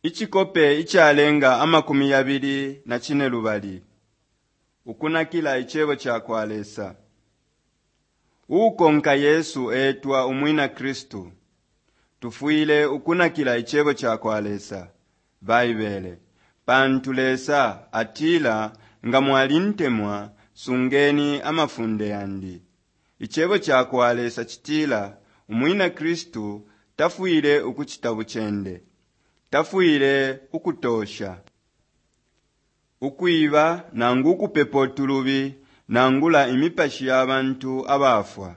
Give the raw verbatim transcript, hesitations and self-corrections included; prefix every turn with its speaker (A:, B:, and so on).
A: Icikope icalenga amakumi yabili na cinelubali ukunakila icebo ca kwa Lesa. Uukonka Yesu etwa umwina Kristu. Tufwile ukunakila icebo ca kwa Lesa, Baibele, pantu Lesa atila nga mwalintemwa, sungeni amafunde yandi. Icebo ca kwa Lesa citila umwina Kristu tafwile ukucita bucende, tafwile ukutosha, ukwiba nangu ukupepo tulubi nangula imipashi ya bantu abafwa.